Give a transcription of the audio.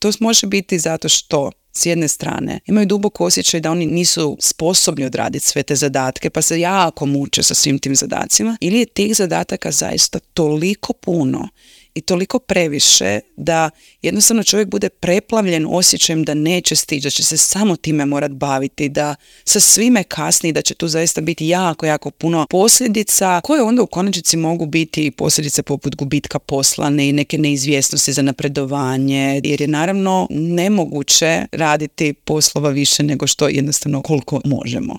To može biti zato što s jedne strane imaju duboko osjećaj da oni nisu sposobni odraditi sve te zadatke, pa se jako muče sa svim tim zadacima, ili je tih zadataka zaista toliko puno i toliko previše da jednostavno čovjek bude preplavljen osjećajem da neće stići, da će se samo time morat baviti, da sa svime kasni, da će tu zaista biti jako, jako puno posljedica koje onda u konačnici mogu biti posljedice poput gubitka posla i neke neizvjesnosti za napredovanje, jer je naravno nemoguće raditi poslova više nego što jednostavno koliko možemo.